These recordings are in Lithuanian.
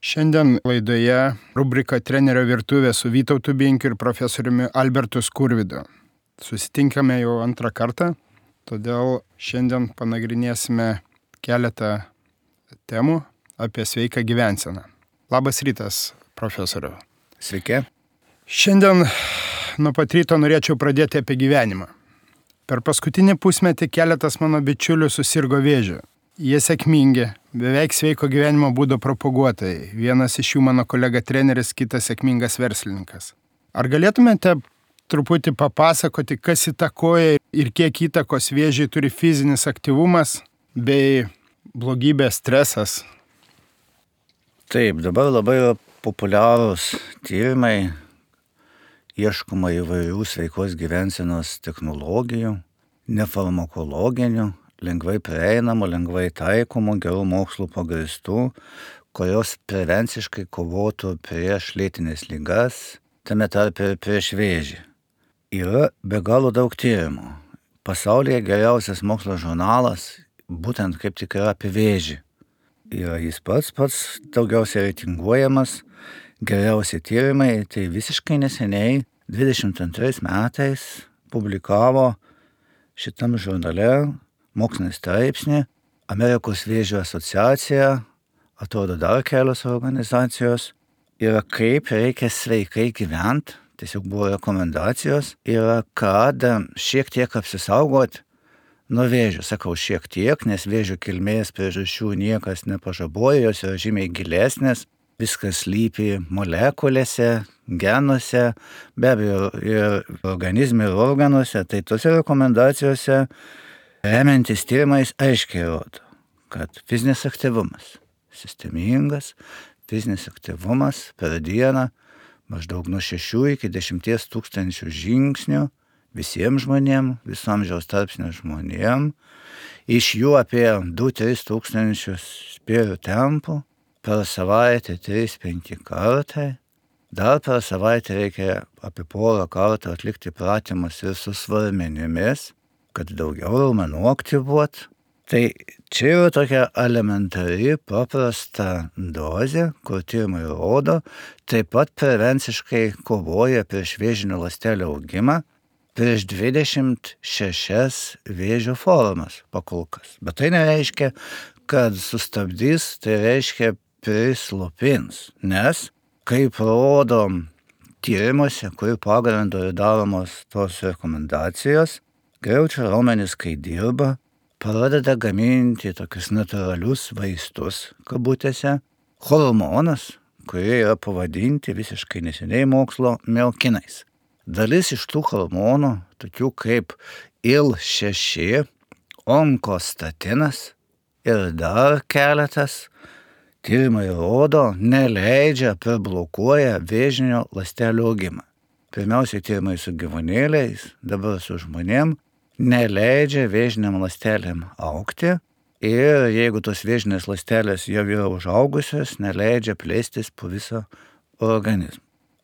Šiandien laidoje rubrika Trenerio virtuvė su Vytautu Binkiu ir profesoriumi Albertu Skurvydu. Susitinkame jau antrą kartą, todėl šiandien panagrinėsime keletą temų apie sveiką gyvenseną. Labas rytas, profesoriu. Sveiki. Šiandien nuo pat ryto norėčiau pradėti apie gyvenimą. Per paskutinį pusmetį keletas mano bičiulių susirgo vėžiu. Jie sėkmingi, beveik sveiko gyvenimo būdo propaguotojai. Vienas iš jų mano kolega treneris, kitas sėkmingas verslininkas. Ar galėtumėte truputį papasakoti, kas įtakoja ir kiek įtakos vėžiui turi fizinis aktyvumas bei blogybės stresas? Taip, dabar labai populiarūs tyrimai, ieškoma įvairių sveikos gyvensenos technologijų, nefarmakologinių, lengvai prieinamų, lengvai taikomų, gerų mokslų pagrįstų, kurios prevenciškai kovotų prieš lėtines ligas, tame tarpe ir prieš vėžį. Yra be galo daug tyrimų. Pasaulyje geriausias mokslo žurnalas būtent kaip tik yra apie vėžį. Yra jis pats daugiausiai reitinguojamas, geriausi tyrimai, tai visiškai neseniai, 22 metais, publikavo šitam žurnale mokslinį straipsnį, Amerikos vėžio asociacija, atrodo dar kelios organizacijos, yra kaip reikia sveikai gyventi, tiesiog buvo rekomendacijos, yra kad šiek tiek apsisaugot nuo vėžio. Sakau šiek tiek, nes vėžio kilmės priežasčių niekas nepažaboja, jos yra žymiai gilesnės, viskas slypi molekulėse, genuose, be abejo ir organizme ir organuose, tai tose rekomendacijose remiantis tyrimais aiškiai rodo, kad fizinis aktyvumas, sistemingas fizinis aktyvumas per dieną maždaug nuo 6 iki 10 tūkstančių žingsnių visiems žmonėms, viso amžiaus tarpsnio žmonėms, iš jų apie 2-3 tūkstančius spėrių tempų, per savaitę 3-5 kartai, dar per savaitę reikia apie porą kartų atlikti pratimus ir su svarmenimis, kad daugiau raumenų aktyvuot. Tai čia yra tokia elementari, paprasta dozė, kur tyrimai rodo, taip pat prevenciškai kovoja prieš vėžinių ląstelių augimą, prieš 26 vėžio formas pakolkas. Bet tai nereiškia, kad sustabdys, tai reiškia prislopins, nes, kaip rodo tyrimuose, kurių pagrindu yra daromos tos rekomendacijos, greičio raumenys, kai dirba, pradeda gaminti tokius natūralius vaistus, kabutėse, hormonas, kurie yra pavadinti visiškai neseniai mokslo miokinais. Dalis iš tų hormonų, tokių kaip IL-6, onkostatinas ir dar keletas, tyrimai rodo, neleidžia, priblokuoja vėžinio ląstelių augimą. Pirmiausiai tyrimai su gyvūnėliais, dabar su žmonėm, neleidžia vėžiniam ląstelėm augti ir jeigu tos vėžinės ląstelės jau yra užaugusios, neleidžia plėstis po visą organizmą.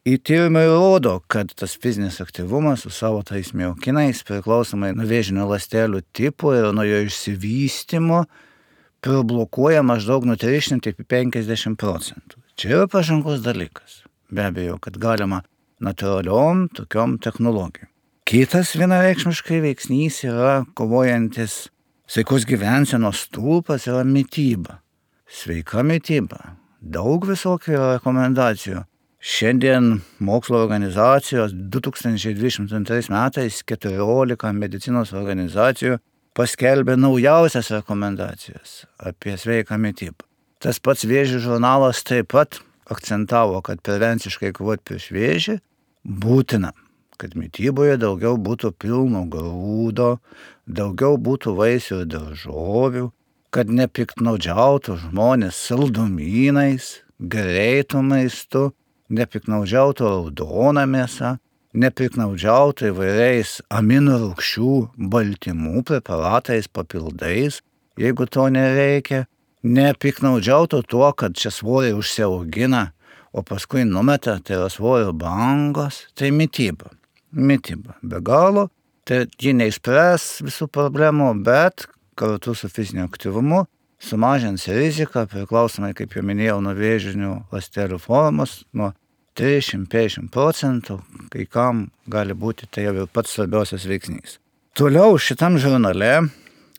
Į tyrimai rodo, kad tas fizinis aktyvumas su savo tais miokinais priklausomai nuo vėžinio ląstelių tipo ir nuo jo išsivystymo priblokuoja maždaug nuo 300 iki 50%. Čia yra pažangus dalykas. Be abejo, kad galima natūraliom tokiom technologijom. Kitas vienareikšmiškai veiksnys yra kovojantis sveikos gyvensenos stulpas yra mityba. Sveika mityba. Daug visokių rekomendacijų. Šiandien mokslo organizacijos 2022 metais 14 medicinos organizacijų paskelbė naujausias rekomendacijas apie sveiką mitybą. Tas pats vėžio žurnalas taip pat akcentavo, kad prevenciškai kovoti prieš vėžį būtina, kad mityboje daugiau būtų pilno grūdo, daugiau būtų vaisių ir daržovių, kad nepiktnaudžiautų žmonės saldumynais, greitų maistu, nepiktnaudžiautų raudona mėsa, nepiktnaudžiautų įvairiais aminų rūgščių baltymų preparatais, papildais, jeigu to nereikia, nepiktnaudžiautų tuo, kad čia svoriai užsiaugina, o paskui numeta, tai yra svorio bangos, tai mityba. Mityba be galo, tai ji neišspręs visų problemų, bet kartu su fiziniu aktyvumu sumažins riziką, priklausomai, kaip jau minėjau, nuo vėžinių ląstelių formos, nuo 30-50%, kai kam gali būti tai jau pats svarbiausias veiksnys. Toliau šitam žurnale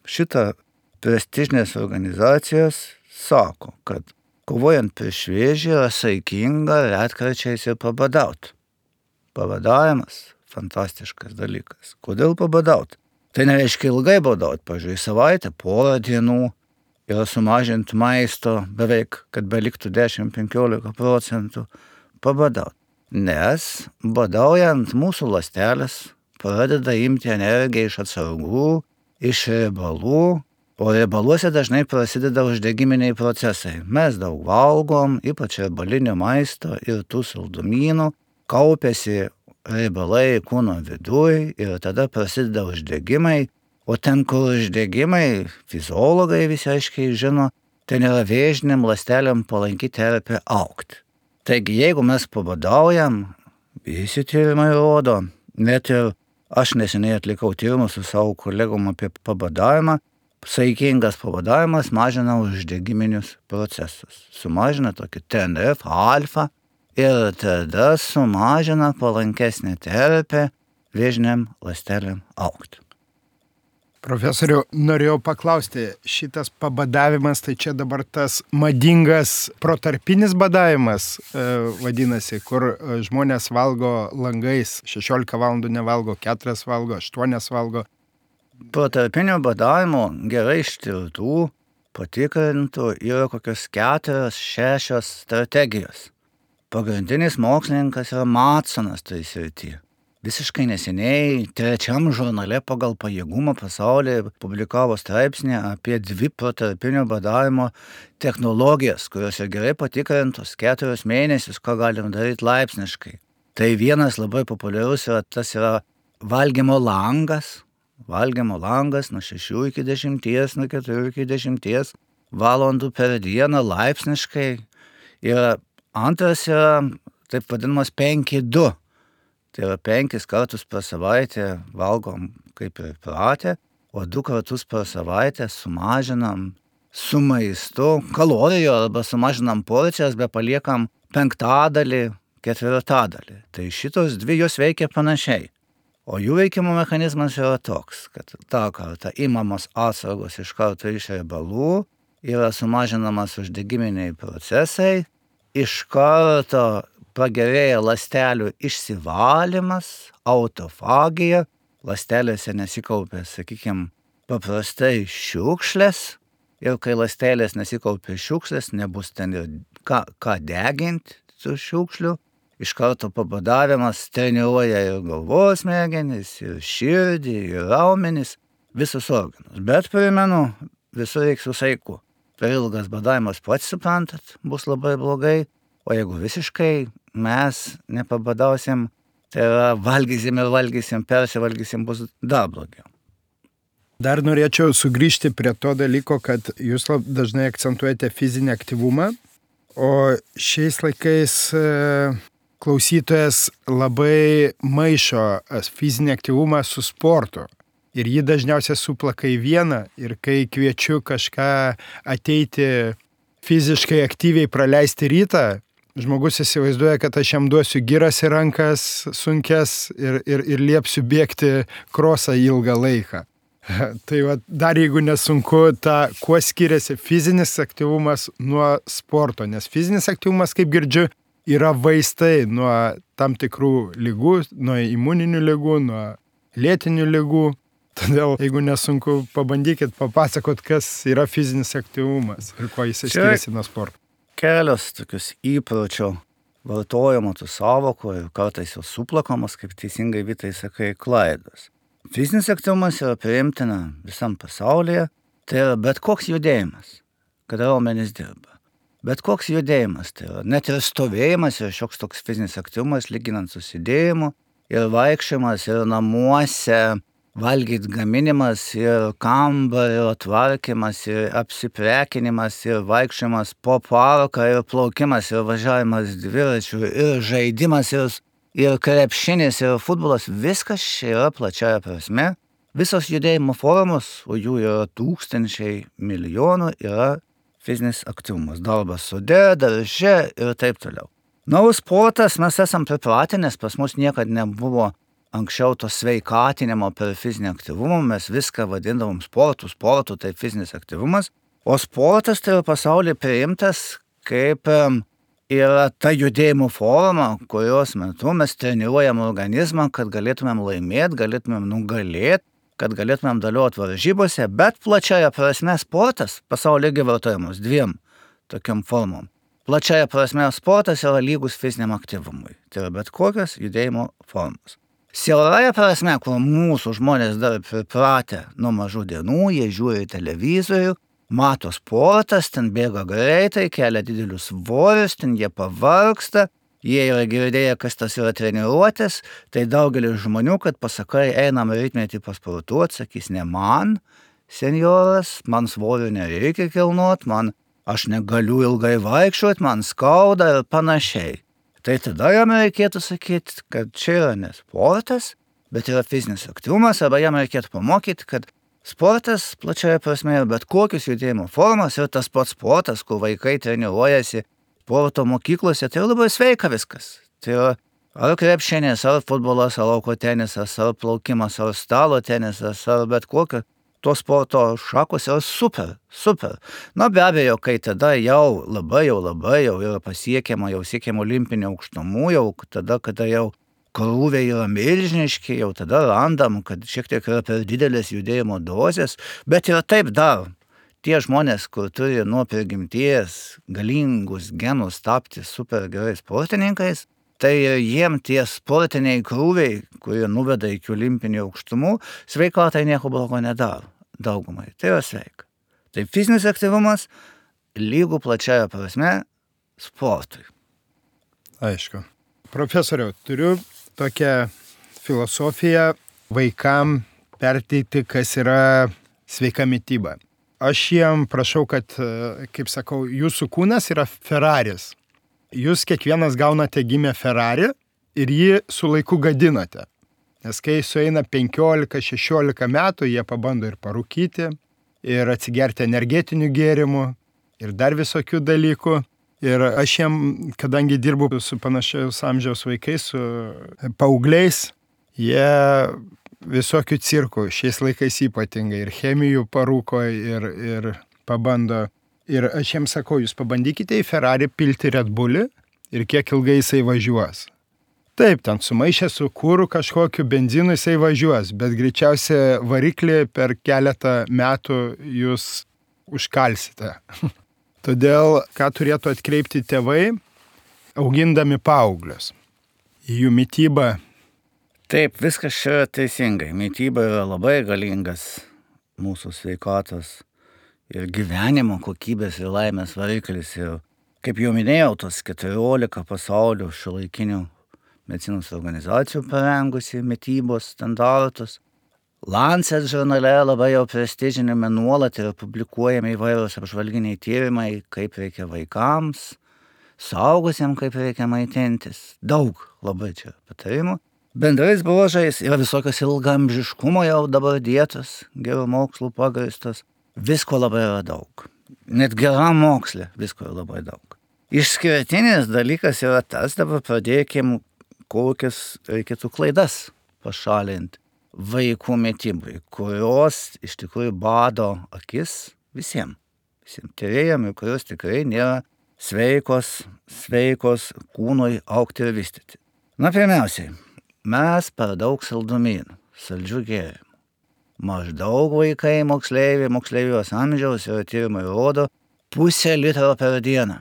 šita prestižinės organizacijos sako, kad kovojant prieš vėžį yra saikinga retkarčiais ir pabadauti. Pabadavimas – fantastiškas dalykas. Kodėl pabadauti? Tai nereiškia ilgai badauti, pavyzdžiui, savaitę, porą dienų ir sumažinti maisto beveik, kad beliktų 10-15% pabadauti. Nes badaujant mūsų ląstelės pradeda imti energiją iš atsargų, iš riebalų, o riebaluose dažnai prasideda uždegiminiai procesai. Mes daug valgom, ypač riebalinio maisto ir tų saldumynų, kaupiasi riebalai kūno viduj ir tada prasideda uždegimai, o ten, kur uždegimai, fiziologai visi aiškiai žino, ten yra vėžiniam ląstelėm palanki terpė augti. Taigi, jeigu mes pabadaujam, visi tyrimai rodo, net ir aš neseniai atlikau tyrimus su savo kolegom apie pabadavimą, saikingas pabadavimas mažina uždegiminius procesus, sumažina tokį TNF alfa, ir tada sumažina palankesnę terpę vėžiniam ląstelėm augti. Profesoriau, norėjau paklausti, šitas pabadavimas, tai čia dabar tas madingas protarpinis badavimas vadinasi, kur žmonės valgo langais, 16 valandų nevalgo, 4 valgo, 8 valgo. Protarpinio badavimo gerai ištirtų, patikrintų yra kokios 4-6 strategijos. Pagrindinis mokslininkas yra Matsonas tai srityje. Visiškai neseniai 3 žurnale pagal pajėgumą pasaulyje publikavo straipsnį apie 2 protarpinio badavimo technologijas, kurios yra gerai patikrintos 4 mėnesius, ką galim daryti laipsniškai. Tai vienas labai populiarus yra, tas yra valgymo langas nuo 6 iki 10, nuo 4 iki 10 valandų per dieną laipsniškai. Ir antras yra taip vadinamas 5-2. Tai yra 5 kartus per savaitę valgom kaip ir pratę, o 2 kartus per savaitę sumažinam su maistu kalorijų arba sumažinam porcijas, bet paliekam 5/4. Tai šitos 2 jos veikia panašiai. O jų veikimo mechanizmas yra toks, kad tą kartą imamos atsargos iš karto iš riebalų, yra sumažinamas uždegiminiai procesai, iš karto pagerėja ląstelių išsivalymas, autofagija, ląstelėse nesikaupia, sakykime, paprastai šiukšlės, ir kai ląstelės nesikaupia šiukšlės, nebus ten ir ką deginti su šiukšliu. Iš karto pabadavimas treniruoja ir galvos smegenis, ir širdį, ir raumenis, visus organus. Bet primenu, visur reikia su saiku. Per ilgas badavimas, pats suprantat, bus labai blogai, o jeigu visiškai mes nepabadausim, tai yra valgysim, persivalgysim, bus dar blogiau. Dar norėčiau sugrįžti prie to dalyko, kad jūs dažnai akcentuojate fizinį aktyvumą, o šiais laikais klausytojas labai maišo fizinį aktyvumą su sportu. Ir jį dažniausiai suplaka į vieną. Ir kai kviečiu kažką ateiti fiziškai aktyviai praleisti rytą, žmogus įsivaizduoja, kad aš jam duosiu giras į rankas sunkes ir liepsiu bėgti krosą ilgą laiką. Tai va, dar jeigu nesunku, kuo skiriasi fizinis aktyvumas nuo sporto. Nes fizinis aktyvumas, kaip girdžiu, yra vaistai nuo tam tikrų ligų, nuo imuninių ligų, nuo lėtinių ligų. Todėl, jeigu nesunku, pabandykit papasakot, kas yra fizinis aktyvumas ir kuo jis skiriasi nuo sporto. Kelios tokius įpročio vartojimo tų sąvokų ir kartais jau suplakamos, kaip teisingai Vytai sakai, klaidos. Fizinis aktyvumas yra priimtina visam pasaulyje, tai yra bet koks judėjimas, kada raumenys dirba. Bet koks judėjimas, tai yra net ir stovėjimas yra šioks toks fizinis aktyvumas, lyginant su sėdėjimu, ir vaikščiojimas, ir namuose, valgyt gaminimas, ir kambario tvarkymas, ir apsiprekinimas, ir vaikščiojimas po parką, ir plaukimas, ir važiavimas dviračiu, ir žaidimas, ir krepšinis, ir futbolas, viskas čia yra plačiaja prasme Visos judėjimo formos, o jų yra tūkstančiai milijonų, yra fizinis aktyvumas. Darbas sode, darže ir taip toliau. Sportas mes esam pripratę, nes pas mus niekad nebuvo anksčiau to sveikatinimo per fizinį aktyvumą. Mes viską vadindavom sportu, tai fizinis aktyvumas. O sportas tai yra pasaulyje priimtas kaip yra ta judėjimo forma, kurios metu mes treniruojam organizmą, kad galėtumėm laimėti, galėtumėm nugalėti, kad galėtumėm dalyvauti varžybose, bet plačiaja prasme sportas pasaulyje vartojamas dviem tokiam formom. Plačiaja prasme sportas yra lygus fiziniam aktyvumui. Tai yra bet kokios judėjimo formos. Siauraja prasme, kur mūsų žmonės dar pripratę nuo mažų dienų, jie žiūri televizorių, mato sportas, ten bėga greitai, kelia didelius svorius, ten jie pavargsta, jie yra girdėję, kas tas yra treniruotės, tai daugelis žmonių, kad pasakai, einam rytmetį pasportuoti, sakys, ne man, senjoras, man svorių nereikia kilnot, aš negaliu ilgai vaikščioti, man skauda ir panašiai. Tai tada jam reikėtų sakyti, kad čia yra ne sportas, bet yra fizinis aktyvumas, arba jam reikėtų pamokyti, kad sportas plačiaja prasme yra bet kokius judėjimo formas ir tas pats sportas, kur vaikai treniruojasi sporto mokyklose, tai labai sveika viskas. Tai yra ar krepšinis, ar futbolas, ar lauko tenisas, ar plaukimas, ar stalo tenisas, ar bet kokio. To sporto šakos yra super. Be abejo, kai tada jau labai yra pasiekiama, jau siekiama olimpinio aukštumų, jau tada, kada jau krūviai yra milžiniški, jau tada randam, kad šiek tiek yra per didelės judėjimo dozės, bet ir taip dar. Tie žmonės, kur turi nuo prigimties galingus genus tapti super gerai sportininkais, tai jiem tie sportiniai krūviai, kurie nuveda iki olimpinių aukštumų, sveikatai nieko blogo nedaro daugumai. Tai yra sveika. Tai fizinis aktyvumas lygų plačiaja prasme sportui. Aišku. Profesoriau, turiu tokią filosofiją vaikam perteikti, kas yra sveika mityba. Aš jiem prašau, kad, kaip sakau, jūsų kūnas yra Ferraris. Jūs kiekvienas gaunate gimę Ferrari ir jį su laiku gadinate. Nes kai sueina 15-16 metų, jie pabando ir parūkyti, ir atsigerti energetinių gėrimų, ir dar visokių dalykų. Ir aš jiem, kadangi dirbu su panašiaus amžiaus vaikais, su paaugliais, jie visokių cirkų, šiais laikais ypatingai, ir chemijų parūko, ir pabando. Ir aš jiems sakau, jūs pabandykite į Ferrari pilti Red Bullį ir kiek ilgai jisai važiuos. Taip, ten sumaišę su kuru kažkokiu benzinu jisai važiuos, bet greičiausiai variklį per keletą metų jūs užkalsite. Todėl, ką turėtų atkreipti tėvai, augindami paauglius į jų mitybą. Taip, viskas čia teisingai. Mityba yra labai galingas mūsų sveikatos ir gyvenimo kokybės ir laimės variklis. Ir, kaip jau minėjau, tos 14 pasaulio šiuolaikinių medicinos organizacijų parengusi mitybos standartus. Lancet žurnale labai jau prestižinėme nuolat yra publikuojami įvairūs apžvalginiai tyrimai, kaip reikia vaikams, suaugusiems, kaip reikia maitintis. Daug labai čia patarimų. Bendrais bruožais yra visokios ilgaamžiškumo jau dabar dietos, gerų mokslų pagrįstos. Visko labai yra daug. Net geram moksle visko yra labai daug. Išskirtinis dalykas yra tas, dabar pradėkim, kokias reikėtų klaidas pašalinti vaikų mitybai, kurios iš tikrųjų bado akis visiems tyrėjam ir kurios tikrai nėra sveikos kūnui augti ir vystyti. Pirmiausiai, mes per daug saldumynų, saldžių gėrimų. Maždaug vaikai moksleivijos amžiaus ir tyrimai rodo 0,5 litro per dieną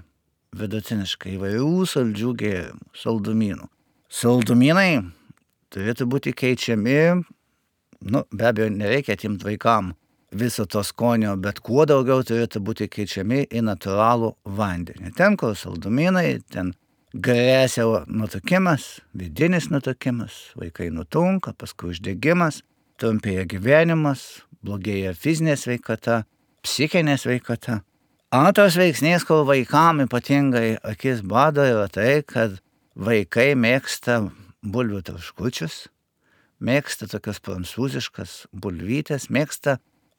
vidutiniškai įvairių saldžių gėrimų, saldumynų. Saldumynai turėtų būti keičiami, be abejo, nereikia atimti vaikam viso to skonio, bet kuo daugiau turėtų būti keičiami į natūralų vandenį. Ten, kur saldumynai, ten grėsia nutukimas, vidinis nutukimas, vaikai nutunka, paskui uždegimas, trumpėja gyvenimas, blogėja fizinė sveikata, psichinė sveikata. Antras veiksnys, kur vaikam ypatingai akis bado, yra tai, kad vaikai mėgsta bulvių traškučius, mėgsta tokias prancūziškas bulvytės,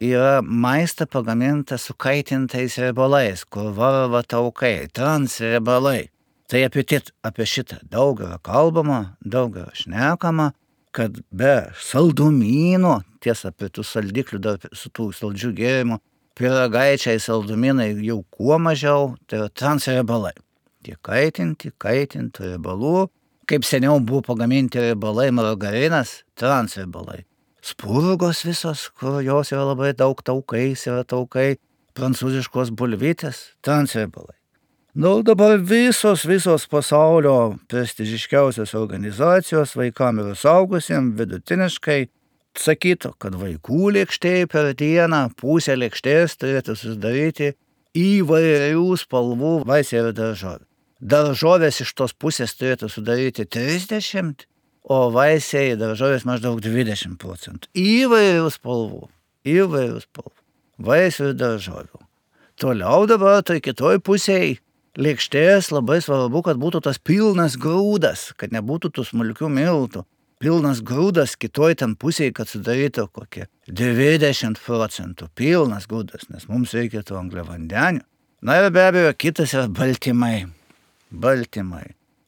yra maistą pagaminta su kaitintais riebalais, kur varva taukai, transriebalai. Tai apie šitą daug yra kalbama, daug yra šnekama, kad be saldumynų, tiesa, prie tų saldiklių dar su tų saldžių gėrimų, pyragaičiai saldumynai jau kuo mažiau, tai yra transriebalai. Tie kaitinti riebalų, kaip seniau buvo pagaminti riebalai, margarinas, transriebalai. Spurgos visos, kur jos yra labai daug taukais, yra taukai, prancūziškos bulvytės, transriebalai. Dabar visos pasaulio prestižiškiausios organizacijos vaikam ir suaugusiem vidutiniškai sakytų, kad vaikų lėkštėje per dieną pusę lėkštės turėtų susidaryti įvairių spalvų vaisiai ir daržovė. Daržovės iš tos pusės turėtų sudaryti 30%, o vaisiai daržovės maždaug 20%. Įvairių spalvų. Vaisių ir daržovių. Toliau dabar tai kitoj pusėje lėkštės labai svarbu, kad būtų tas pilnas grūdas, kad nebūtų tų smulkių miltų. Pilnas grūdas kitoj ten pusėje, kad sudarytų kokie 20% pilnas grūdas, nes mums reikia tų angliavandenių. Na ir be abejo, kitas yra baltymai.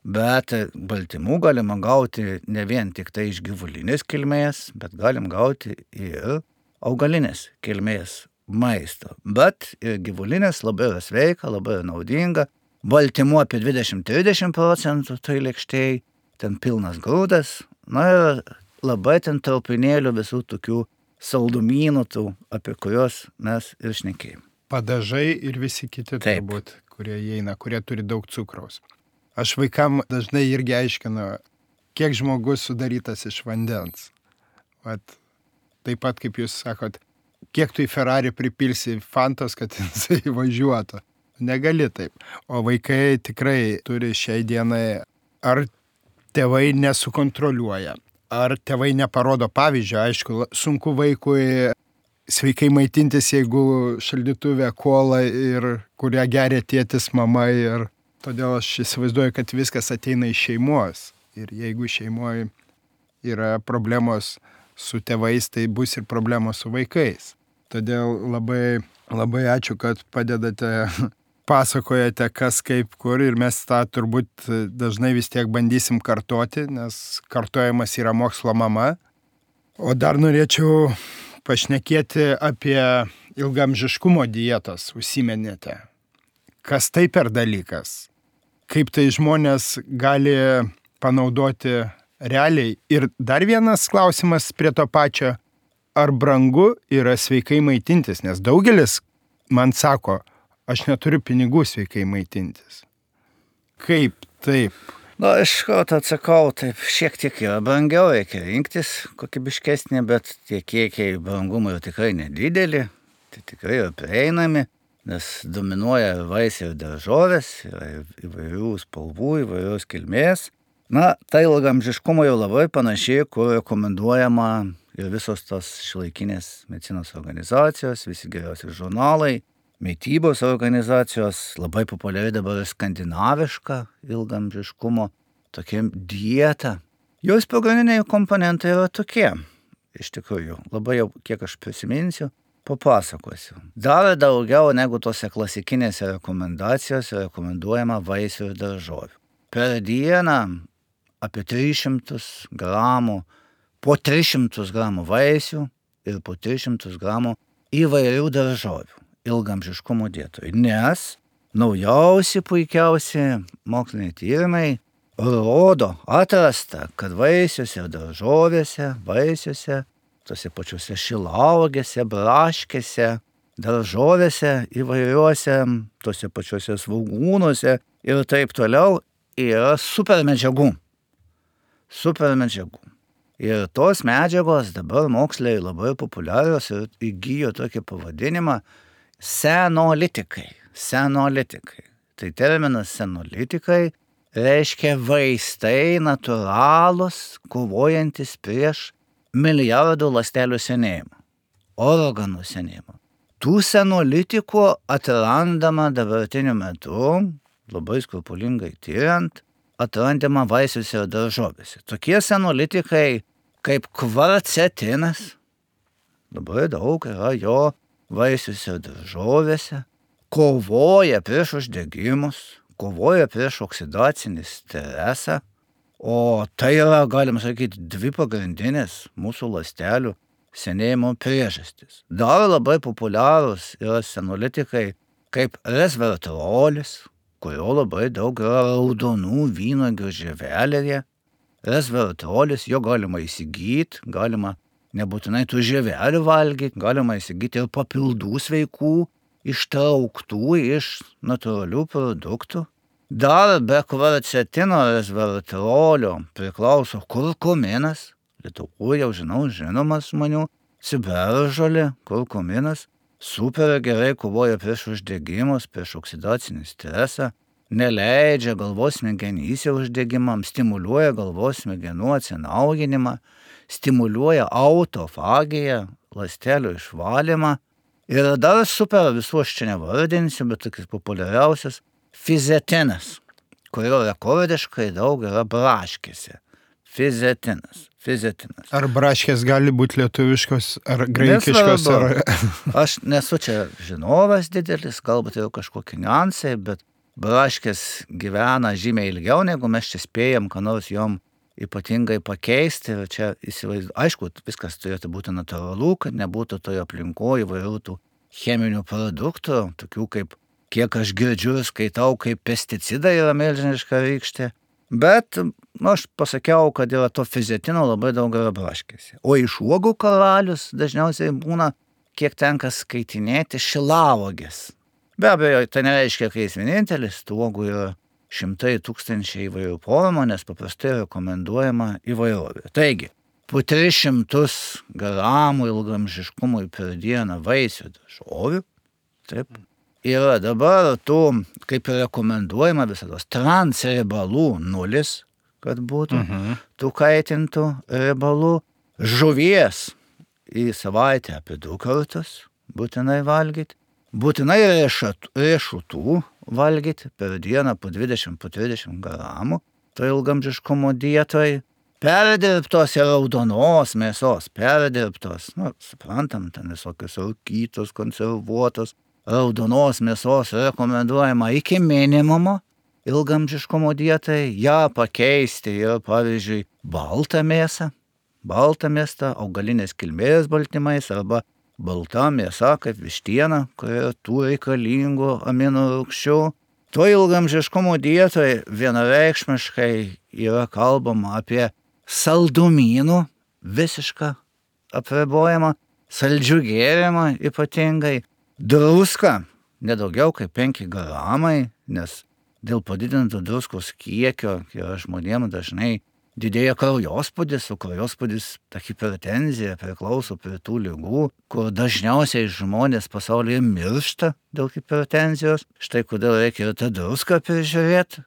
Bet baltymų galima gauti ne vien tik tai iš gyvulinės kilmės, bet galim gauti ir augalinės kilmės maisto. Bet ir gyvulinės labai yra sveika, labai yra naudinga. Baltymų apie 20-30% tai lėkštėj, ten pilnas grūdas. Na ir labai ten traupinėlių visų tokių saldumynų, apie kuriuos mes ir šnekėjom. Padažai ir visi kiti turbūt, kurie įeina, kurie turi daug cukraus. Aš vaikam dažnai irgi aiškinu, kiek žmogus sudarytas iš vandens. Taip pat, kaip jūs sakot, kiek tu į Ferrari pripilsi fantos, kad jisai važiuotų. Negali taip. O vaikai tikrai turi šiai dienai, ar tėvai nesukontroliuoja, ar tėvai neparodo pavyzdžio. Aišku, sunku vaikui sveikai maitintis, jeigu šaldytuvė kola ir kurią geria tėtis, mama. Ir todėl aš įsivaizduoju, kad viskas ateina iš šeimos. Ir jeigu šeimoje yra problemos su tėvais, tai bus ir problemos su vaikais. Todėl labai ačiū, kad padedate, pasakojate kas kaip kur, ir mes tą turbūt dažnai vis tiek bandysim kartoti, nes kartojimas yra mokslo mama. O dar norėčiau pašnekėti apie ilgamžiškumo dietas, užsiminėte. Kas tai per dalykas? Kaip tai žmonės gali panaudoti realiai? Ir dar vienas klausimas prie to pačio. Ar brangu yra sveikai maitintis? Nes daugelis man sako, aš neturiu pinigų sveikai maitintis. Kaip taip? Na, iš karto atsakau, taip šiek tiek yra brangiau, reikia rinktis kokybiškesnį, bet tie kiekiai brangumo jau tikrai nedideli, tai tikrai yra prieinami, nes dominuoja vaisiai ir daržovės, yra įvairių spalvų, įvairios kilmės. Na, tai ilgamžiškumo jau labai panašiai, kur rekomenduojama ir visos tos šiuolaikinės medicinos organizacijos, visi geriausi žurnalai, mitybos organizacijos, labai populiari dabar skandinaviška ilgamžiškumo tokia dieta. Jos pagrindiniai komponentai yra tokie, iš tikrųjų, labai jau kiek aš prisiminsiu, papasakosiu. Dar daugiau negu tose klasikinėse rekomendacijose rekomenduojama vaisių ir daržovių. Per dieną apie 300 gramų, po 300 gramų vaisių ir po 300 gramų įvairių daržovių ilgamžiškumo dietoj. Nes naujausi, puikiausi moksliniai tyrimai rodo, atrasta, kad vaisiuose ir daržovėse, tose pačiuose šilauogėse, braškėse, daržovėse įvairiuose, tose pačiuose svogūnuose ir taip toliau yra supermedžiagų. Ir tos medžiagos dabar moksliai labai populiarios ir įgijo tokį pavadinimą senolitikai. Tai terminas senolitikai reiškia vaistai natūralūs, kovojantis prieš milijardų ląstelių senėjimą, organų senėjimą. Tų senolitikų atrandama dabartiniu metu, labai skrupulingai tyrant, atrandama vaisiuose ir daržovėse. Tokie senolitikai kaip kvarcetinas. Labai daug yra jo vaisiuose, daržovėse. Kovoja prieš uždegimus, kovoja prieš oksidacinį stresą. O tai yra, galima sakyti, 2 pagrindinės mūsų ląstelių senėjimo priežastys. Dar labai populiarūs yra senolitikai kaip resveratrolis, kurio labai daug yra raudonų vynuogių žievelėje. Resveratrolis, jo galima įsigyti, galima nebūtinai tų žievelių valgyti, galima įsigyti ir papildų sveikų, ištrauktų iš natūralių produktų. Dar be kvarcetino resveratrolio priklauso kurkuminas, Lietuvoje jau žinomas žmonių, ciberžolė, kurkuminas, super gerai kovoja prieš uždegimus, prieš oksidacinį stresą, neleidžia galvos smegenyse uždegimams, stimuliuoja galvos smegenų atsinaujinimą, stimuliuoja autofagiją, ląstelių išvalymą. Ir dar super, visų aš čia nevardinsiu, bet tokias populiariausias, fizetinas, kurio rekordiškai daug yra braškėse. Fizetinas. Ar braškės gali būti lietuviškos, ar graikiškos? Aš nesu čia žinovas didelis, galbūt jau kažkokie niuansai, bet braškės gyvena žymiai ilgiau, negu mes čia spėjam, ką nors jom ypatingai pakeisti. Ir čia aišku, viskas turėtų būti natūralu, kad nebūtų toje aplinkoje įvairių tų cheminių produktų, tokių kaip, kiek aš girdžiu ir skaitau, kaip pesticidai yra milžiniška rykštė. Bet aš pasakiau, kad yra to fizetino labai daug yra braškėse. O iš uogų karalius dažniausiai būna, kiek tenka skaitinėti, šilauogės. Be abejo, tai nereiškia, kad jis vienintelis, tų uogų yra šimtai tūkstančiai įvairių formų, nes paprastai rekomenduojama įvairovė. Taigi, po 300 gramų ilgamžiškumui per dieną vaisių daržovių, taip, yra dabar tų, kaip ir rekomenduojama visados, transriebalų 0, kad būtų, tų kaitintų riebalų, žuvies į savaitę apie 2 kartus būtinai valgyti, būtinai riešutų valgyti per dieną po 20-30 gramų, to ilgamžiškumo dietoj, perdirbtos ir raudonos mėsos, suprantam, ten visokios rūkytos, konservuotos, raudonos mėsos rekomenduojama iki minimumo ilgamžiškumo dietai, ją pakeisti ir, pavyzdžiui, baltą mėsą, augalinės kilmės baltymais arba balta mėsa kaip vištiena, kurioje tų reikalingų amino rūgščių. To ilgamžiškumo dietoje vienareikšmiškai yra kalbama apie saldumynų visišką apribojimą, saldžių gėrimą ypatingai, druską nedaugiau kaip 5 gramai, nes dėl padidinto druskos kiekio yra žmonėms dažnai didėja kraujospūdis, o kraujospūdis, ta hipertenzija priklauso prie tų ligų, kur dažniausiai žmonės pasaulyje miršta dėl hipertenzijos. Štai kodėl reikia ir tą druską prižiūrėti.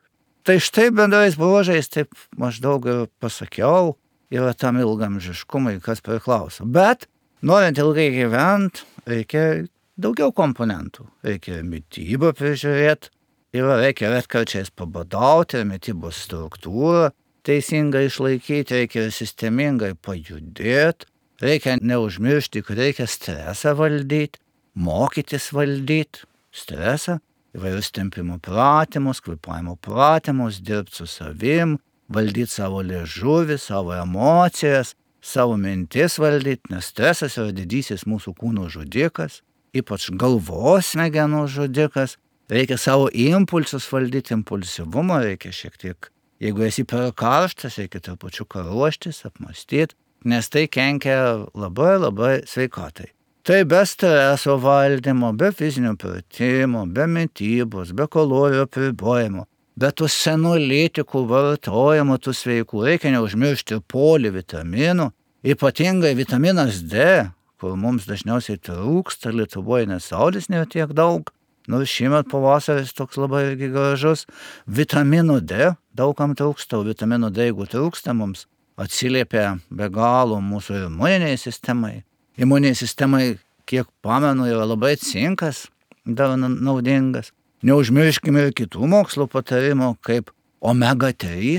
Tai štai bendrais bruožais, taip maždaug ir pasakiau, yra tam ilgamžiškumai, kas priklauso. Bet norint ilgai gyventi, reikia daugiau komponentų. Reikia mitybą prižiūrėti, reikia retkarčiais pabadauti, mitybos struktūrą teisingai išlaikyti, reikia sistemingai pajudėti, reikia neužmiršti, kad reikia stresą valdyti, mokytis valdyti stresą, įvairius tempimo pratimus, kvėpavimo pratimus, dirbti su savim, valdyti savo liežuvį, savo emocijas, savo mintis valdyti, nes stresas yra didysis mūsų kūno žudikas, ypač galvos smegenų žudikas. Reikia savo impulsus valdyti, impulsyvumą reikia šiek tiek. Jeigu esi per karštas, reikia trupučiuką ruoštis, apmąstyti, nes tai kenkia labai sveikatai. Tai be streso valdymo, be fizinio pratimų, be mitybos, be kalorijų apribojimo, be tų senolitikų vartojimo, tų sveikų, reikia neužmiršti polivitaminų, ypatingai vitaminas D, kur mums dažniausiai trūksta, Lietuvoje nes saulės nėra tiek daug. Nors šiemet pavasaris toks labai gražus. Vitamino D daugam trūksta, o vitamino D, jeigu trūksta, mums atsiliepia be galo mūsų imuniniai sistemai. Imuniniai sistemai, kiek pamenu, yra labai cinkas, dar naudingas. Neužmirškime ir kitų mokslo patarimų, kaip omega 3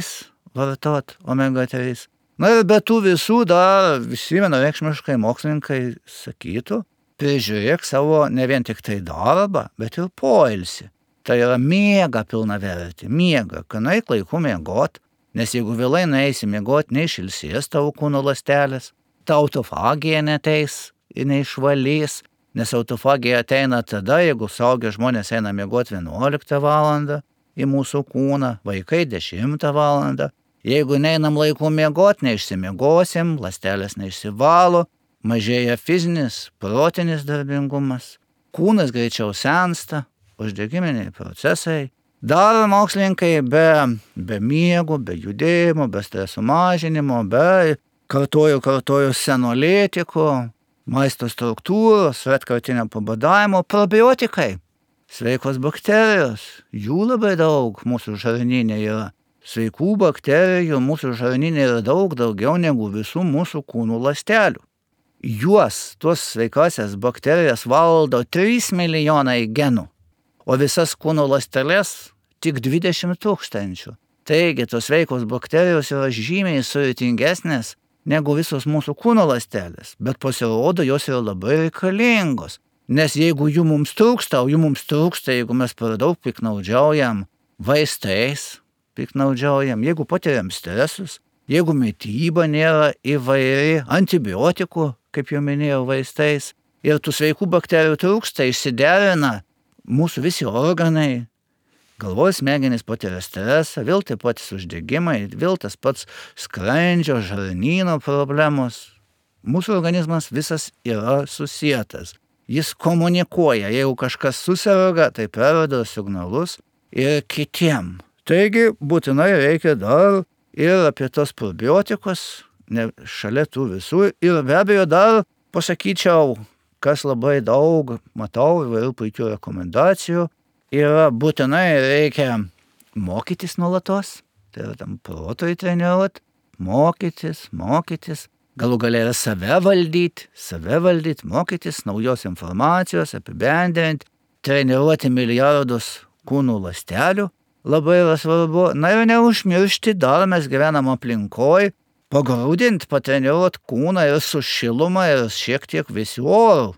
vartot, omega 3. Na ir be tų visų dar visi vienareikšmiškai mokslininkai sakytų, prižiūrėk savo ne vien tik tai darbą, bet ir poilsį. Tai yra miega pilnavertį, miega, kad nueik laiku miegot, nes jeigu vėlai nueisi miegot, neišilsės tavo kūno ląstelės, ta autofagija neteis ir neišvalys, nes autofagija ateina tada, jeigu suaugę žmonės eina miegot 11 valandą į mūsų kūną, vaikai 10 valandą. Jeigu neinam laiku miegot, neišsimiegosim, ląstelės neišsivalo, mažėja fizinis, protinis darbingumas, kūnas greičiau sensta, uždegiminiai procesai. Dar mokslininkai be miego, be judėjimo, be streso mažinimo, be kartoju senolėtikų, maisto struktūros, retkartinio pabadavimo, probiotikai, sveikos bakterijos, jų labai daug mūsų žarnyne yra. Sveikų bakterijų mūsų žarnyne yra daug daugiau negu visų mūsų kūnų ląstelių. Tuos sveikasias bakterijas valdo 3 milijonai genų, o visas kūno ląsteles tik 20 000. Taigi, tos sveikos bakterijos yra žymiai sudėtingesnės negu visos mūsų kūno ląstelės, bet pasirodo, jos yra labai reikalingos. Nes jeigu jų mums trūksta, jeigu mes per daug piknaudžiaujam vaistais, jeigu patiriam stresus, jeigu mityba nėra įvairi, antibiotikų, kaip jau minėjau, vaistais, ir tų sveikų bakterijų trūksta, išsiderina mūsų visi organai, galvos smegenys patiria stresą, vėl taip pat uždegimai, vėl tas pats skrandžio, žarnyno problemos. Mūsų organizmas visas yra susietas. Jis komunikuoja, jeigu kažkas susirga, tai perduoda signalus ir kitiem. Taigi būtinai reikia dar ir apie tos probiotikus, šalia tų visų, ir be abejo dar pasakyčiau, kas labai daug matau įvairių puikių rekomendacijų, yra būtinai reikia mokytis nuolatos, tai yra tam protui treniruot, mokytis, galų gale yra save valdyt, mokytis naujos informacijos, apibendrinti, treniruoti milijardus kūnų ląstelių, labai yra svarbu. Na ir neužmiršti, dar mes gyvenam aplinkoj, pagrūdint, patreniruot kūną ir su šiluma ir šiek tiek vėsiu oru.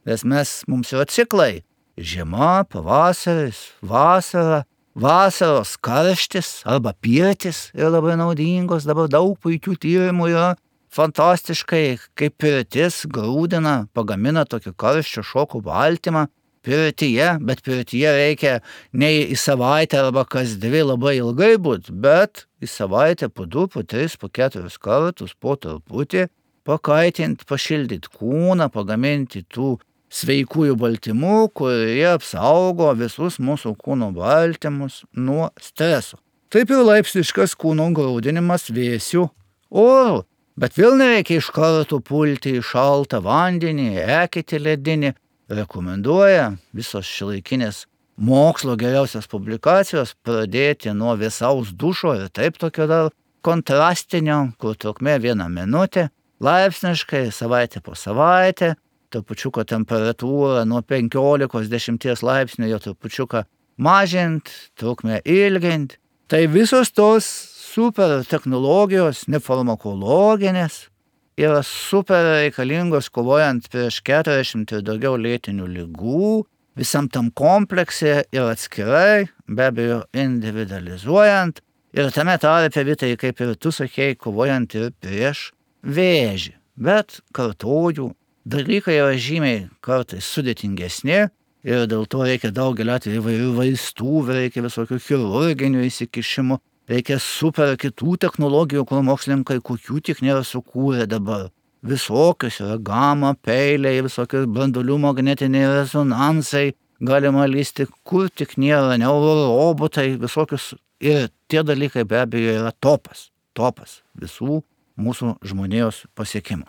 Nes mums yra ciklai. Žiema, pavasaris, vasara, vasaros karštis arba pirtis yra labai naudingos. Dabar daug puikių tyrimų yra. Fantastiškai, kaip pirtis grūdina, pagamina tokį karščio šokų baltymą. Pirtyje, bet pirtyje reikia ne į savaitę arba kas 2 labai ilgai būt, bet į savaitę po 2, po 3, po 4 kartus, po truputį, pakaitint, pašildyt kūną, pagaminti tų sveikųjų baltymų, kurie apsaugo visus mūsų kūno baltymus nuo streso. Taip ir laipsniškas kūno grūdinimas vėsiu oru, bet vėl nereikia iš karto pulti į šaltą vandenį, eketį ledinį. Rekomenduoja visos šiuolaikinės mokslo geriausias publikacijos pradėti nuo vėsaus dušo ir taip tokio dar kontrastinio, kur trukmė 1 minutė, laipsniškai, savaitę po savaitę, trupučiuką temperatūrą nuo 15-10 laipsnių jo trupučiuką mažint, trukmę ilgint. Tai visos tos super technologijos, nefarmakologinės, yra super reikalingos kovojant prieš 40 ir daugiau lėtinių ligų, visam tam komplekse ir atskirai, be abejo individualizuojant, ir tame tarpe vitai, kaip ir tu sakei, kovojant ir prieš vėžį. Bet kartoju, dalykai yra žymiai kartais sudėtingesni ir dėl to reikia daugelį atvejų įvairių vaistų, reikia visokių chirurginių įsikišimų. Reikia super kitų technologijų, kur mokslininkai kokių tik nėra sukūrę dabar. Visokios yra gama, peiliai, visokios branduolių magnetiniai rezonansai, galima lysti, kur tik nėra, neurorobotai, visokius. Ir tie dalykai be abejo yra topas visų mūsų žmonijos pasiekimų.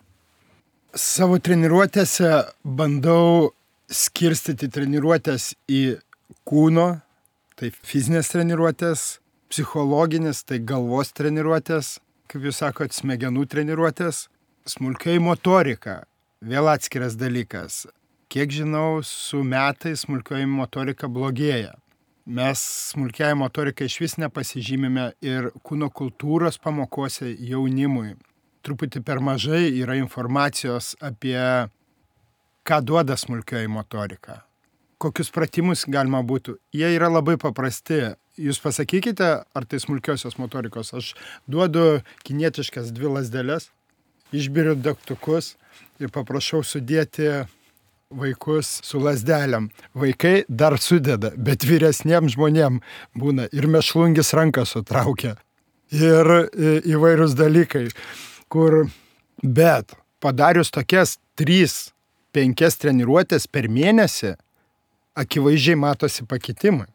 Savo treniruotėse bandau skirstyti treniruotės į kūno, tai fizinės treniruotės, psichologinis, tai galvos treniruotės, kaip jūs sakot, smegenų treniruotės, smulkioji motorika, vėl atskiras dalykas. Kiek žinau, su metais smulkioji motorika blogėja. Mes smulkiai motorikai iš vis nepasižymime ir kūno kultūros pamokose jaunimui. truputį per mažai yra informacijos apie ką duoda smulkioji motorika. Kokius pratimus galima būtų. Jie yra labai paprasti. Jūs pasakykite, ar tai smulkiosios motorikos. Aš duodu kinietiškas 2 lazdeles, išbiriu degtukus ir paprašau sudėti vaikus su lazdelėm. Vaikai dar sudeda, bet vyresniem žmonėm būna ir mešlungis ranką sutraukia. Ir įvairūs dalykai, bet padarius tokias 3-5 treniruotės per mėnesį, akivaizdžiai matosi pakitimai.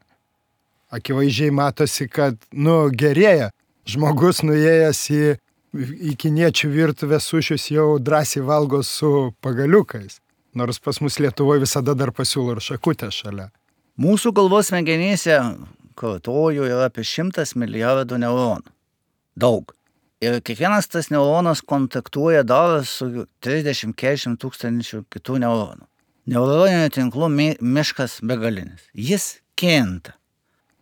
Akivaizdžiai matosi, kad, gerėja. Žmogus nuėjęs į kiniečių virtuvę sušius jau drąsiai valgo su pagaliukais. Nors pas mus Lietuvoje visada dar pasiūlo ir šakutę šalia. Mūsų galvos smegenyse, kartoju, yra apie 100 milijardų neuronų. Daug. Ir kiekvienas tas neuronas kontaktuoja dar su 30-40 tūkstančių kitų neuronų. Neuroninių tinklų miškas begalinis. Jis kinta.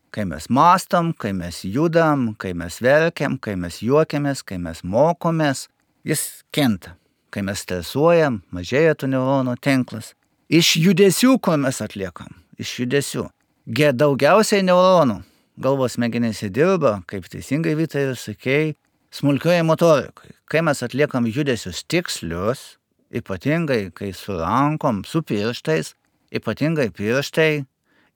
Kai mes mąstom, kai mes judam, kai mes verkiam, kai mes juokiamės, kai mes mokomės, jis kinta. Kai mes stresuojam, mažėja tų neuronų tinklas. Iš judesių, ko mes atliekam? Iš judesių. Daugiausiai neuronų galvos smegenėse dirba, kaip teisingai Vytai ir sakei, smulkioje motorikai. Kai mes atliekam judesius tikslius, ypatingai kai su rankom, su pirštais, ypatingai pirštai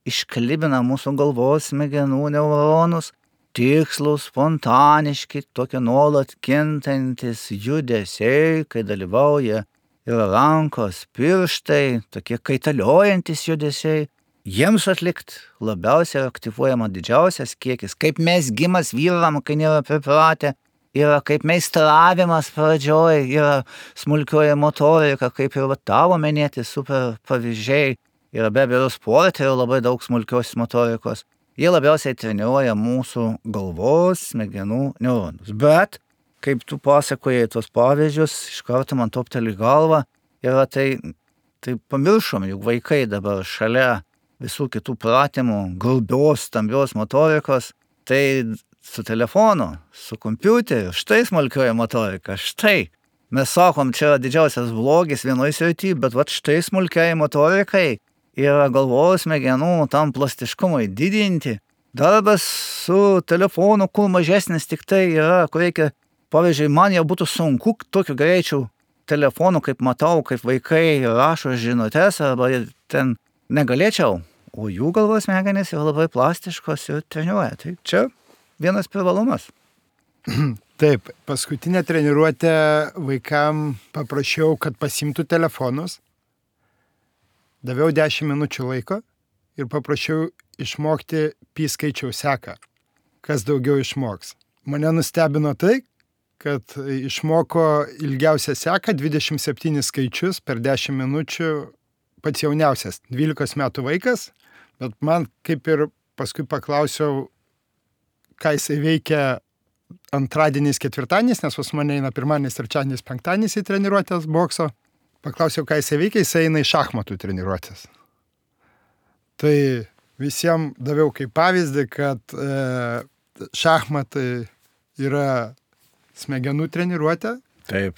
išklibina mūsų galvos smegenų neuronus, tikslus, spontaniški, tokie nuolat kintantis judesiai, kai dalyvauja ir rankos, pirštai, tokie kaitaliojantis judesiai. Jiems atlikt labiausiai aktyvuojama didžiausias kiekis, kaip mes gimas vyram, kai nėra pripratę, yra kaip meistravimas pradžioj, yra smulkioji motorika, kaip ir tavo minėti super pavyzdžiai, yra be abejo sporte ir labai daug smulkios motorikos. Jie labiausiai treniruoja mūsų galvos smegenų neuronus. Bet, kaip tu pasakojai tos pavyzdžius, iš karto man topteli galva, yra tai pamiršom, juk vaikai dabar šalia visų kitų pratimų, grubios, stambios motorikos, tai su telefonu, su kompiuteriu, štai smulkioji motorika, štai. Mes sakom, čia yra didžiausias blogis vienoje srityje, bet štai smulkiai motorikai yra galvos smegenų tam plastiškumui didinti. Darbas su telefonu, kur mažesnis tik tai yra, kur reikia, pavyzdžiui, man jau būtų sunku tokiu greičiu telefonu, kaip matau, kaip vaikai rašo žinutes, arba ten negalėčiau, o jų galvos smegenys yra labai plastiškos ir treniruoja. Tai čia vienas privalumas. Taip, paskutinę treniruotę vaikam paprašiau, kad pasimtų telefonus. Daviau 10 minučių laiko ir paprašiau išmokti pi skaičiaus seką. Kas daugiau išmoks. Mane nustebino tai, kad išmoko ilgiausią seką 27 skaičius per 10 minučių pats jauniausias, 12 metų vaikas, bet man kaip ir paskui paklausiau, ką jisai veikia antradieniais, ketvirtadieniais, nes pas mane eina pirmadienis, trečiadienis, penktadienis į treniruotės bokso. Paklausiau, ką jisai veikia, jisai eina į šachmatų treniruotės. Tai visiems daviau kaip pavyzdį, kad šachmatai yra smegenų treniruotė,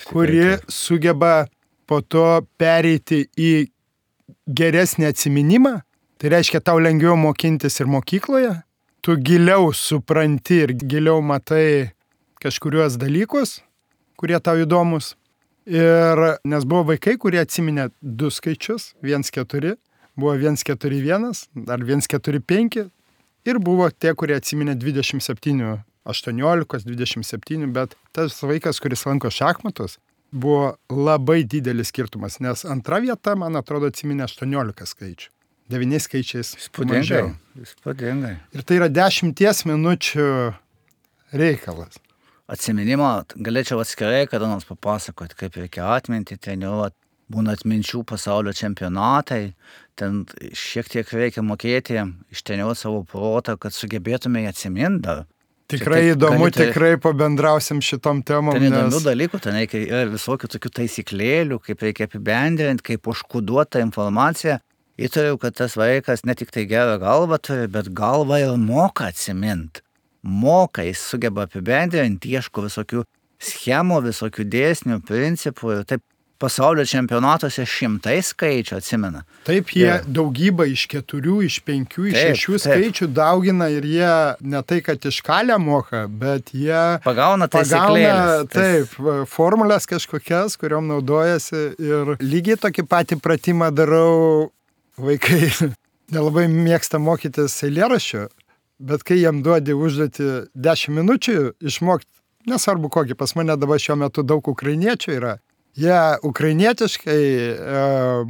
kuri sugeba po to pereiti į geresnį atsiminimą. Tai reiškia, tau lengviau mokintis ir mokykloje. Tu giliau supranti ir giliau matai kažkuriuos dalykus, kurie tau įdomus. Ir nes buvo vaikai, kurie atsiminė 2 skaičius, 1-4, buvo 1-4-1, ar 1-4-5, ir buvo tie, kurie atsiminė 27, 18, 27, bet tas vaikas, kuris lanko šachmatus, buvo labai didelis skirtumas, nes antra vieta, man atrodo, atsiminė 18 skaičių. 9 skaičiais mažiau. Įspūdingai. Ir tai yra 10 minučių reikalas. Atsiminimo galėčiau atskirai kada nors papasakoti, kaip reikia atminti, treniruoti. Būna atminčių pasaulio čempionatai, ten šiek tiek reikia mokėti, ištreniruoti savo protą, kad sugebėtume atsiminti dar. Tikrai įdomu, tikrai pabendrausim šitom temom. Ten įdomių dalykų, ten reikia visokių tokių taisyklėlių, kaip reikia apibendrinti, kaip užkoduota informacija. Įtariu, kad tas vaikas ne tik tai gerą galvą turi, bet galvą ir moka atsiminti. Moka, jis sugeba apibendrinti, ieško visokių schemų, visokių dėsnių, principų ir taip. Pasaulio čempionatuose 100 skaičių atsimena. Taip, jie daugybą iš 4, iš 5, iš 6 skaičių daugina ir jie ne tai, kad iš kalę moka, bet jie pagauna taisyklėles. Taip, formulės kažkokias, kuriuom naudojasi ir lygiai tokį patį pratimą darau. Vaikai nelabai mėgsta mokytis eilėraščio, bet kai jiem duodi užduoti 10 minučių išmokti, nesvarbu kokį, pas mane dabar šiuo metu daug ukrainiečių yra. Jie ukrainietiškai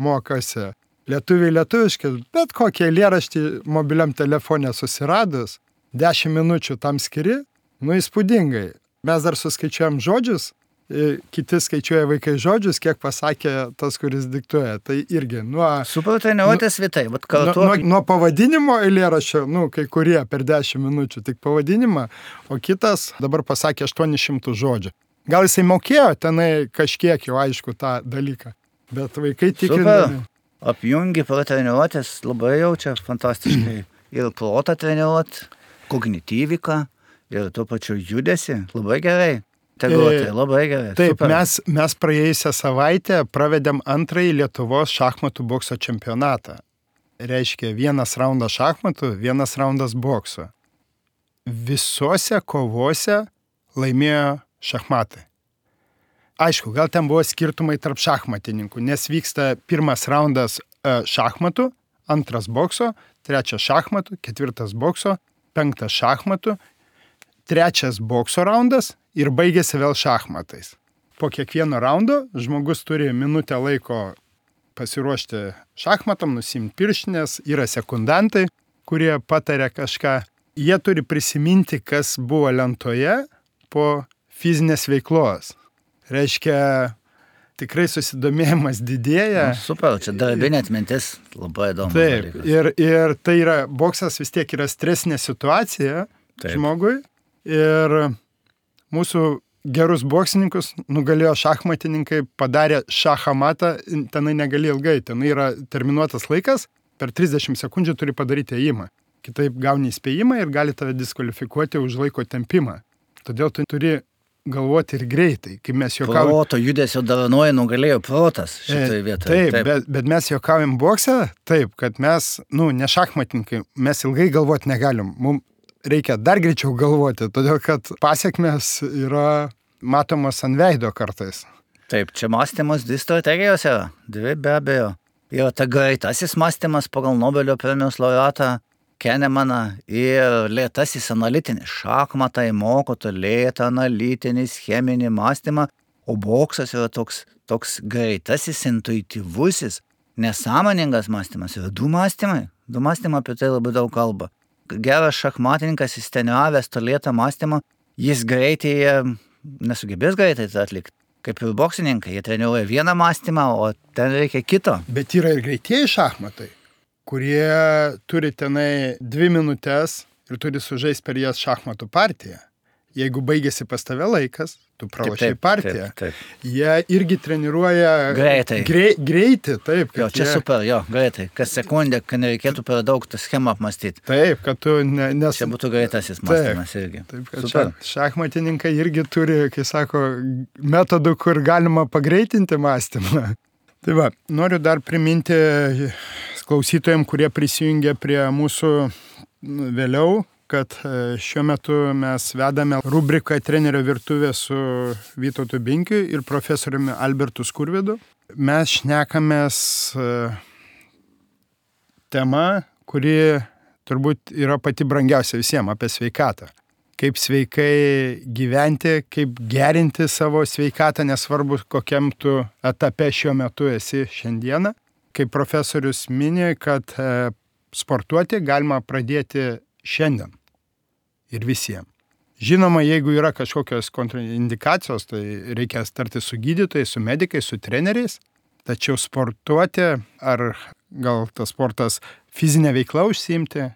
mokosi, lietuviai lietuviškai, bet kokį eilėraštį mobiliam telefone susiradus, 10 minučių tam skiri, įspūdingai. Mes dar suskaičiuojam žodžius, kiti skaičiuoja vaikai žodžius, kiek pasakė tas, kuris diktuoja. Tai irgi nuo... Super treniruotės vitai, bet kartu... Nuo pavadinimo eilėraščio, kai kurie per 10 minučių, tik pavadinimą, o kitas dabar pasakė 800 žodžių. Gal jisai mokėjo tenai kažkiek jau aišku tą dalyką, bet vaikai tikrindami. Super, apjungi treniruotės labai jaučia fantastiškai. Ir protą treniruot, kognityviką ir tuo pačiu judesi. Labai gerai. Tegruotai, labai gerai. Taip, super. Mes praėjusią savaitę pravedėm 2. Lietuvos šachmatų bokso čempionatą. Reiškia, 1 raundas šachmatų, 1 raundas bokso. Visose kovose laimėjo šachmatai. Aišku, gal ten buvo skirtumai tarp šachmatininkų, nes vyksta 1 raundas šachmatų, 2 bokso, 3 šachmatų, 4 bokso, 5 šachmatų, 3 bokso raundas ir baigėsi vėl šachmatais. Po kiekvieno raundo žmogus turi minutę laiko pasiruošti šachmatam, nusimti pirštinės, yra sekundantai, kurie pataria kažką. Jie turi prisiminti, kas buvo lentoje po fizinės veiklos. Reiškia, tikrai susidomėjimas didėja. Super, čia darbinė atmintis labai įdomu. Taip, ir tai yra, boksas vis tiek yra stresinė situacija žmogui. Ir mūsų gerus boksininkus nugalėjo šachmatininkai, padarė šachamatą, tenai negali ilgai, tenai yra terminuotas laikas, per 30 sekundžių turi padaryti ėjimą. Kitaip gauni įspėjimą ir gali tave diskvalifikuoti už laiko tempimą. Todėl tu turi galvoti ir greitai, kaip mes juokaujam. Proto judesio dovanoja nugalėjo protas šitoje vietoje. Taip. Bet mes juokaujam bokse, taip, kad mes, ne šachmatininkai, mes ilgai galvoti negalim. Mums reikia dar greičiau galvoti, todėl kad pasiekmes yra matomos ant veido kartais. Taip, čia mąstymas 2 strategijos yra, 2 be abejo. Yra ta greitasis mąstymas pagal Nobelio premijos laureatą Kenemaną ir lėtasis analitinis. Šachmatai moko tą lėtą analitinį cheminį mąstymą, o boksas yra toks greitasis, intuityvusis, nesąmoningas mąstymas. Yra 2 mąstymai. 2 mąstymai apie tai labai daug kalba. Geras šachmatininkas, jis treniravęs tą lėtą mąstymą, jis greitai nesugebės greitai tai atlikti. Kaip ir boksininkai, jie treniruoja vieną mąstymą, o ten reikia kito. Bet yra ir greitieji šachmatai, kurie turi tenai 2 minutės ir turi sužaisti per jas šachmatų partiją. Jeigu baigėsi pas tave laikas, tu pralošiai partiją. Taip. Jie irgi treniruoja greitai. Greitį, taip. Jo, čia super, greitai. Kas sekundę, kad nereikėtų per daug tą schemą apmastyti. Taip, kad tu Čia būtų greitasis mąstymas irgi. Taip, kad šachmatininkai irgi turi, kai sako, metodų, kur galima pagreitinti mąstymą. Tai va, noriu dar priminti klausytojams, kurie prisijungia prie mūsų vėliau, kad šiuo metu mes vedame rubriką Trenerio virtuvė su Vytautu Binkiu ir profesoriumi Albertu Skurvydu. Mes šnekamės tema, kuri turbūt yra pati brangiausia visiems, apie sveikatą. Kaip sveikai gyventi, kaip gerinti savo sveikatą, nesvarbu kokiam tu etape šiuo metu esi šiandieną. Kaip profesorius mini, kad sportuoti galima pradėti šiandien ir visiems. Žinoma, jeigu yra kažkokios kontraindikacijos, tai reikia tarti su gydytojais, su medikais, su treneriais, tačiau sportuoti ar gal tas sportas fizinė veikla užsiimti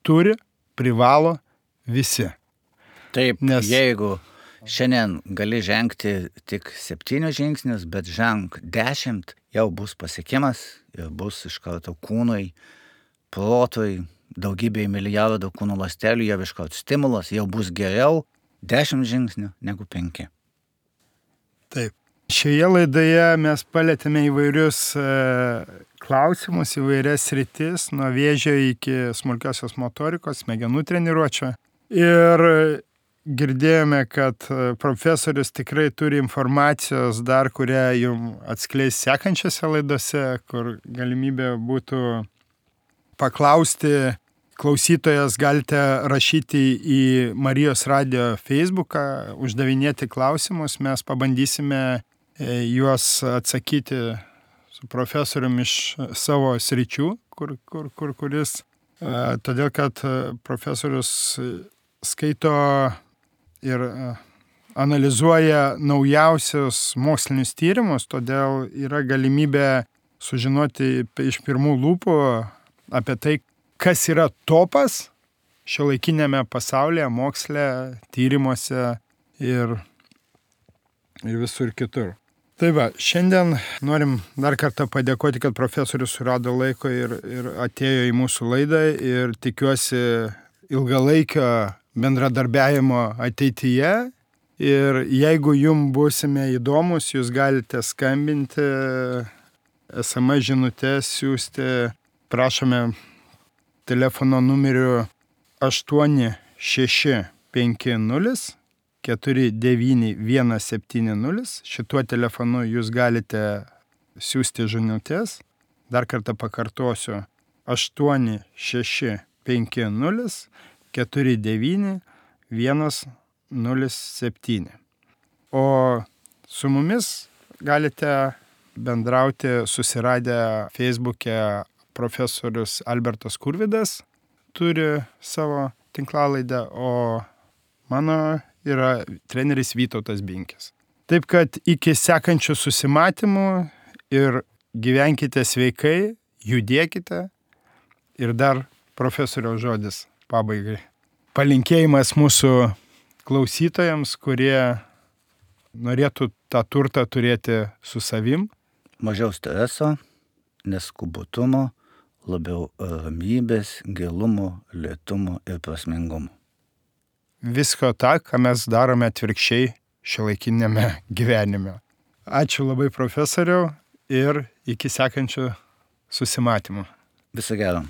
turi, privalo visi. Taip, jeigu šiandien gali žengti tik 7 žingsnius, bet ženk 10, jau bus pasiekimas ir bus iš karto kūnui, protui, daugybė milijardų kūno ląstelių, jau iškart stimulas, jau bus geriau, 10 žingsnių negu 5. Taip. Šioje laidoje mes palėtėme įvairius klausimus, įvairias sritis, nuo vėžio iki smulkiosios motorikos, smegenų treniruočio. Ir girdėjome, kad profesorius tikrai turi informacijos dar, kurią jums atskleis sekančiose laidose, kur galimybė būtų paklausti. Klausytojas galite rašyti į Marijos radijo Facebooką, uždavinėti klausimus, mes pabandysime juos atsakyti su profesoriumi iš savo sričių, kuris, todėl kad profesorius skaito ir analizuoja naujausius mokslinius tyrimus, todėl yra galimybė sužinoti iš pirmų lūpų apie tai, kas yra topas šiuolaikinėme pasaulyje, moksle, tyrimuose ir visur kitur. Tai va, šiandien norim dar kartą padėkoti, kad profesorius surado laiko ir atėjo į mūsų laidą ir tikiuosi ilgalaikio bendradarbiavimo ateityje. Ir jeigu jums būsime įdomus, jūs galite skambinti, SMS žinutės siūsti, prašome telefono numeriu 8650 49170. Šituo telefonu jūs galite siūsti žinutės. Dar kartą pakartosiu. 8650 49107. O su mumis galite bendrauti susiradę Facebook'e. Profesorius Albertas Kurvidas turi savo tinklalaidę, o mano yra treneris Vytautas Binkis. Taip kad iki sekančių susimatymų ir gyvenkite sveikai, judėkite. Ir dar profesoriaus žodis pabaigai. Palinkėjimas mūsų klausytojams, kurie norėtų tą turtą turėti su savim. Mažiau streso, neskubotumo, labiau ramybės, gilumo, lėtumo ir prasmingumo. Visko tą, ką mes darome atvirkščiai šiuolaikinėme gyvenime. Ačiū labai profesoriau ir iki sekančių susimatymų. Viso gero.